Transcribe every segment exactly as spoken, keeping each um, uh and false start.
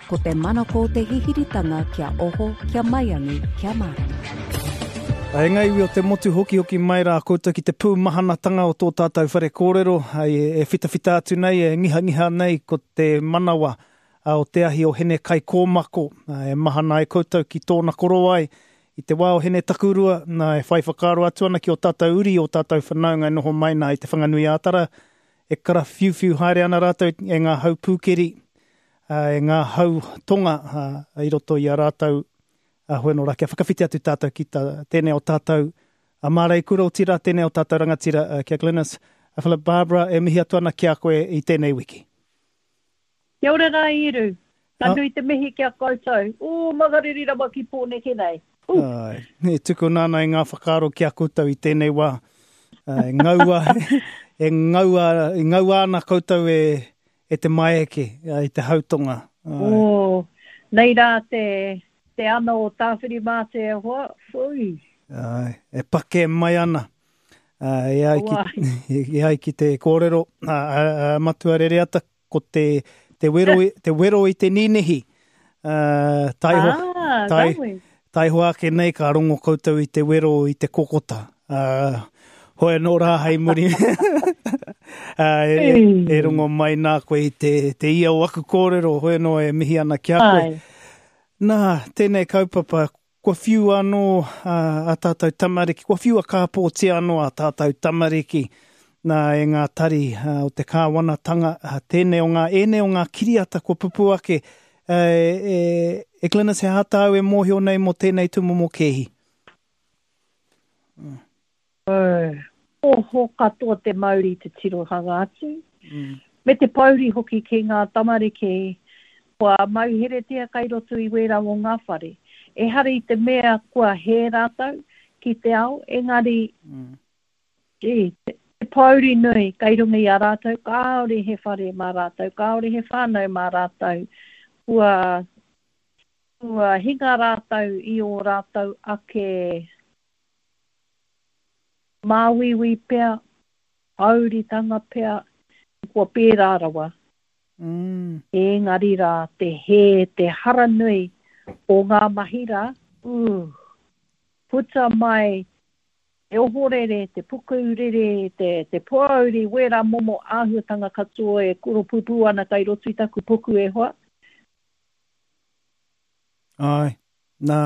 Ko te manako o te hihiritanga kia oho, kia maiangi, kia mārama. E ngā iwi o te motu hokihoki mai rā koutou ki te pūmahanatanga o tō tātou whare kōrero, e whitawhita atu nei, e ngihangiha nei ko te manawa o te ahi o Hene Kaikōmako, e mahana ai koutou ki tōna korowai i te wā o Hene Takurua, nā, e whai whakaaro atu ana ki o tātou uri, o tātou whanaunga e noho mai nā i Te Whanganui-ā-Tara, e karawhiuwhiu haere ana rātou e ngā hau pūkeri, e ngā hau tonga i roto i a rātou. Hoi anō rā, kia whakawhiti atu tātou ki tā, tēnei o tātou a Māreikura, otirā tēnei o tātou rangatira, ki a Glenis. A Philip Barbara, e mihi atu ana ki a koe i tēnei wiki. Kia ora rā, Eru. Ka nui te mihi ki a koutou. Ū, makariri rawa ki Pōneke nei. Ū. Ai, e tukuna ana i ngā whakaaro ki a koutou i tēnei wā. E ngaua, e ngaua, e ngaua ana koutou e, e te maeke, i te hautonga. Ai. Ō, nei rā te, te ana o Tāwhirimātea e hoa, whui. Ai, e pakē mai ana. E ai ki, e ai ki te kōrero, a, a, a Matua Rereata, ko te, te wero, te wero i te nīnihi. Uh, taiho, ah, tai, taiho ake nei ka rongo koutou i te wero i te kokota. Uh, hoi anō rā hei muri. uh, e, e, e rongo mai nā koe i te, te ia o aku kōrero, hoi anō e mihi ana ki a koe. Ai. Nā, tēnei kaupapa, kua whiu anō a, a tātou tamariki, kua whiua kāpōtia anō a tātou tamariki nā e ngā tari a, o te kāwanatanga, a, tēnei o ngā, ēnei o ngā kiriata kua pupū ake. E, e, e Glenis, he aha tāu e mōhio nei mō tēnei tūmomo kēhi? Mm. Oho katoa te mauri te tirohanga atu. Mm. Me te pouri hoki ki ngā tamariki kua mauheretia kai roto i wērā o ngā whare. Ehara i te mea kua hē rātou ki te ao, engari mm. gee, te, te pouri nui kai runga i a rātou, kāore he whare mā rātou, kāore he whānau mā rātou, kua, kua hinga rātou i ō rātou ake māuiui pea, pouritanga pea, kua pērā rawa. Mm. Engari rā, te hē, te hara nui o ngā mahi rā, ū, puta mai te ohorere, te pukurere, te, te pouri, wērā momo āhuatanga katoa e koropupū ana kai roto i taku puku e hoa. Ai, nā,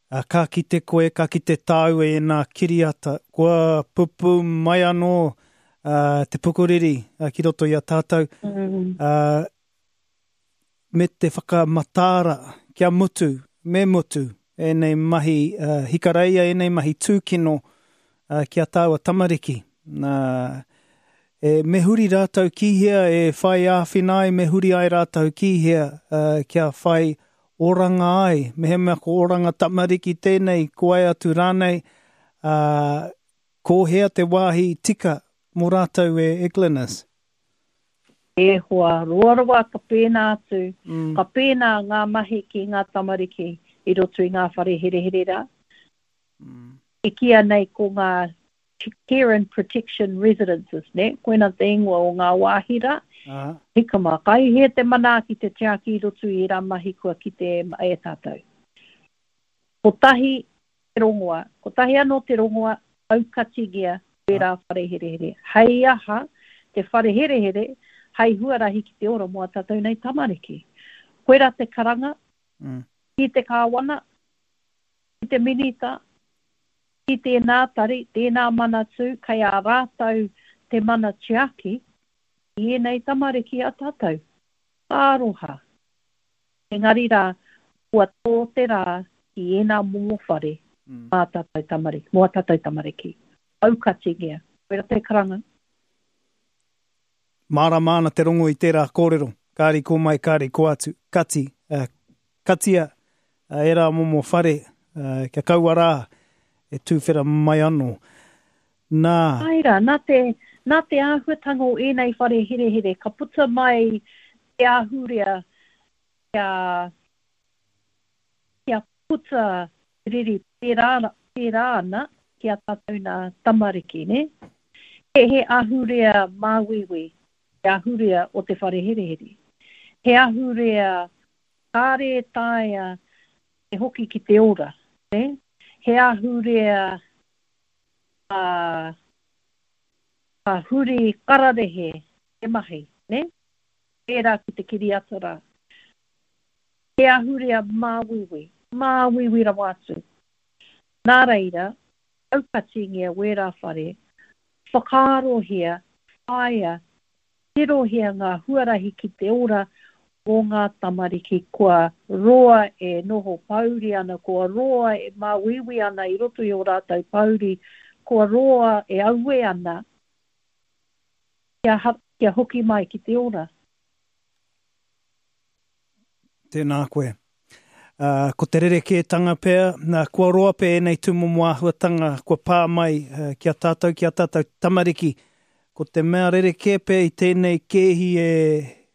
a, ka kite koe, ka kite tāu e nā kiriata, kua pupū mai anō uh, te pukuriri uh, ki roto i a tātou, mm. uh, me te whakamataara kia mutu, me mutu, ēnei mahi uh, hikareia, ēnei mahi tūkino uh, ki a tāua tamariki. Nā, e, me huri rātou ki hea e whai āwhina ai, me huri ai rātou ki hea uh, kia whai oranga ai. Mehemea ko oranga tamariki tēnei, ko ai atu rānei, uh, ko hea te wāhi tika mō rātou e, e Glenis? E hoa, roa rawa ka pēnā atu, mm. ka pēnā ngā mahi ki ngā tamariki i roto i ngā whare herehere rā. Mm. E kīia nei ko ngā Care and Protection Residences, ne? Koina te ingoa o ngā wāhi rā. Uh-huh. Hika mā, kai hea te manaaki te tiaki i roto i ērā mahi kua kite e tātou. Kotahi te rongoa, kotahi anō te rongoa, aukatingia wērā whare herehere. Hei aha te whare herehere, hei huarahi ki te ora mō a tātou nei tamariki. Koirā te karanga, mm. ki te kāwana, ki te minita, ki tēnā tari, tēnā manatū, kei a rātou te mana tiaki i ēnei tamariki a tātou. Ka aroha. Engari rā, kua tō te rā ki ēnā momo whare mm. mā tātou tamariki, mō a tātou tamariki. Aukatingia. Koirā te karanga. Mārama ana te rongo i tērā kōrero. Kāri ko mai, kāri ko atu. Kati, uh, katia, uh, ērā momo whare, uh, kia kaua rā e tūwhera mai anō. Nā. Ai rā, nā te, nā te āhuatanga o ēnei whare herehere, ka puta mai te ahurea kia, kia puta riri pērā, pērā ana ki a tātou nā tamariki, ne? He, he ahurea māuiui, te ahurea o te whare herehere. He ahurea Kāre e taea te hoki ki te ora. Ne? He ahurea a, a huri kararehe te mahi. Ne? Pērā ki te kiriata rā. He ahurea māuiui, māuiui rawa atu. Nā reira, aukatingia wērā whare, whakaarohia, whāia, tirohia ngā huarahi ki te ora o ngā tamariki kua roa e noho pōuri ana, kua roa e māuiui ana i roto i o rātou pōuri, kua roa e aue ana, kia, kia hoki mai ki te ora. Tēnā koe. Uh, ko te rerekētanga pea, nā, kua roa pea ēnei tūmomo āhuatanga, kua pā mai uh, ki a tātou, ki a tātou tamariki. Ko te mea rerekē pea i tēnei kēhi e,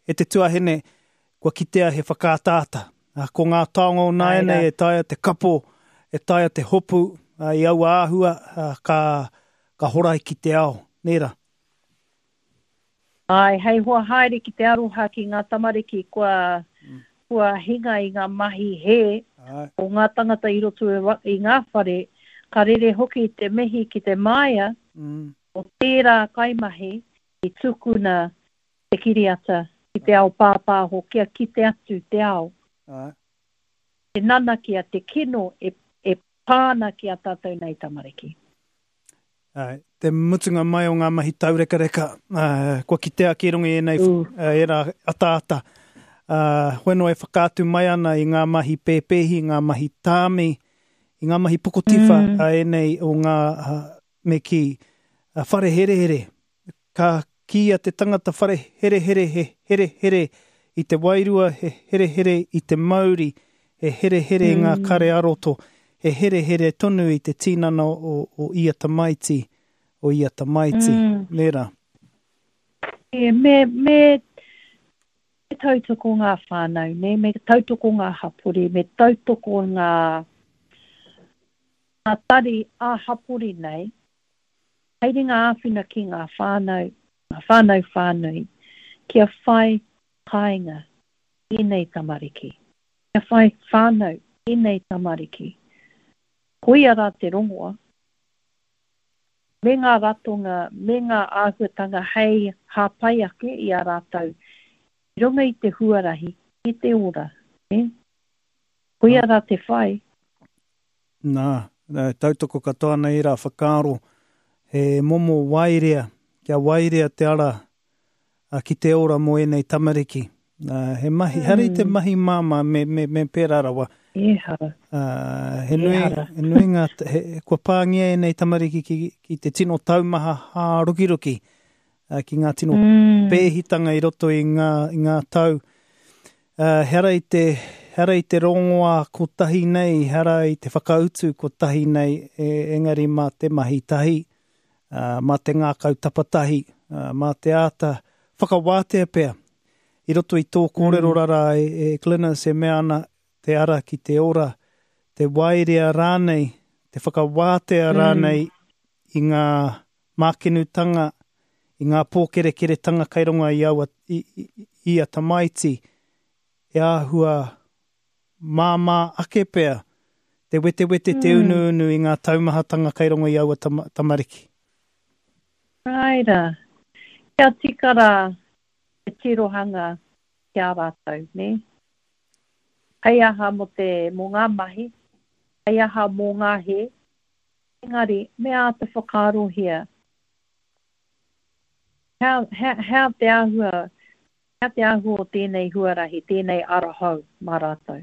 e te tuahine, kua kitea he whakaataata. Uh, ko ngā taonga o nāianei e taea te kapo, e taea te hopu, uh, i aua āhua, uh, ka, ka horai ki te ao. Nē rā? Ai, hei hoa haere ki te aroha ki ngā tamariki kua, mm. kua hinga i ngā mahi hē o ngā tangata i roto i ngā whare, ka rere hoki te mihi ki te māia mm. o tērā kaimahi i tukuna te kiriata ki te ao pāpāho kia kite atu te ao. Ai. Te nanakia, te kino e, e pāna ki a tātou nei tamariki. Ai, te mutunga mai o ngā mahi taurekareka, uh, kua kitea ki runga i ēnei uh, ērā ataata. Uh, hoeno e whakaatu mai ana i ngā mahi pēpēhi, ngā mahi tāmi, i ngā mahi pokotiwha mm. a ēnei o ngā uh, me kī, uh, whare herehere. Ka kīia te tangata whare herehere, he herehere i te wairua, he herehere i te mauri, he herehere mm. i ngā kare aroto, he herehere tonu i te tinana o, o ia tamaiti, o ia tamaiti. Mm. Nē rā? E, me, me tautoko ngā whānau, ne? Me tautoko ngā hapori, me tautoko ngā, ngā tari ā-hapori nei, hei ringa āwhina ki ngā whānau, ngā whānau whānui, kia whai kāinga ēnei tamariki, kia whai whānau ēnei tamariki. Koia rā te rongoa, me ngā ratonga, me ngā āhuatanga hei hāpai ake i a rātou, i runga i te huarahi, i te ora. Eh? Koia rā te whai. Nā, tautoko katoa nei rā whakaaro, he momo wairea, kia wairea te ara a, ki te ora mō ēnei tamariki. Uh, he mahi, mm. Hari te mahi māmā me, me, me pērā rawa. Ehara. Uh, he nui, he nui ngā, he, kua pāngia ēnei tamariki ki, ki te tino taumaha hārukiruki, uh, ki ngā tino mm. pēhitanga i roto i ngā, i ngā tau. Uh, hara i te, hara i te rongoa kotahi nei, hara i te whakautu kotahi nei, e, engari mā te mahi tahi, uh, mā te ngākau tapatahi, uh, mā te āta whakawātea pea. I roto i tō kōrero mm. rara e, e Glynis e mea ana te ara ki te ora, te wairea rānei, te whakawātea mm. rānei i ngā mākenutanga, i ngā pōkerekeretanga kai runga i, aua, i, i, i a tamaiti, e āhua māmā ake pea, te wetewete mm. te unuunu i ngā taumahatanga kai runga i aua tama, tamariki. Raira, kia tika rā te tirohanga ki a rātou, ne? Hei aha mō te, mō ngā mahi, hei aha mō ngā he, engari, me āta whakaarohia. Hea, hea, hea te āhua, hea te āhua o tēnei huarahi, tēnei ara hou mā rātou.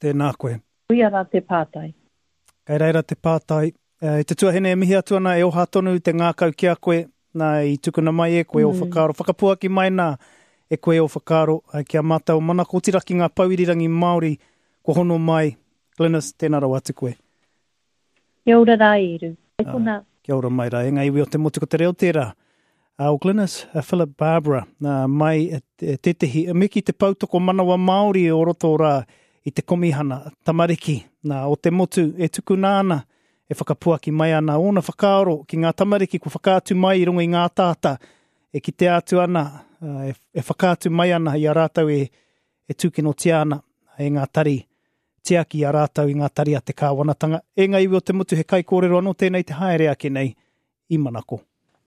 Tēnā koe. Koia rā te pātai. Kei reira te pātai. E te tuahine e mihi atu ana e oha tonu te ngākau ki a koe, nā i tukuna mai e koe mm. o whakaaro. Whakapuaki mai nā e koe o whakaaro ki a mātou manako, otirā ki ngā pouirirangi Māori kua hono mai. Glynis, tēnā rawa atu koe. Kia ora rā, Eru. Hei konā. Kia ora mai rā. E ngā iwi o te motu ko te reo tērā. Uh, o Glynis, uh, Philip Barbara, uh, mai uh, tētehi, me ki te poutoko manawa Māori o roto rā i te komihana tamariki nā, o te motu e tukuna ana, e whakapuaki mai ana ōna whakaaro ki ngā tamariki kua whakaatu mai i runga i ngā tāta, e kitea atu ana, e, e whakaatu mai ana i a rātou e, e tūkinotia ana e ngā tari tiaki a rātou i ngā tari a te kāwanatanga. E ngā iwi o te motu he kaikōrero anō tēnei te haere ake nei i Manako.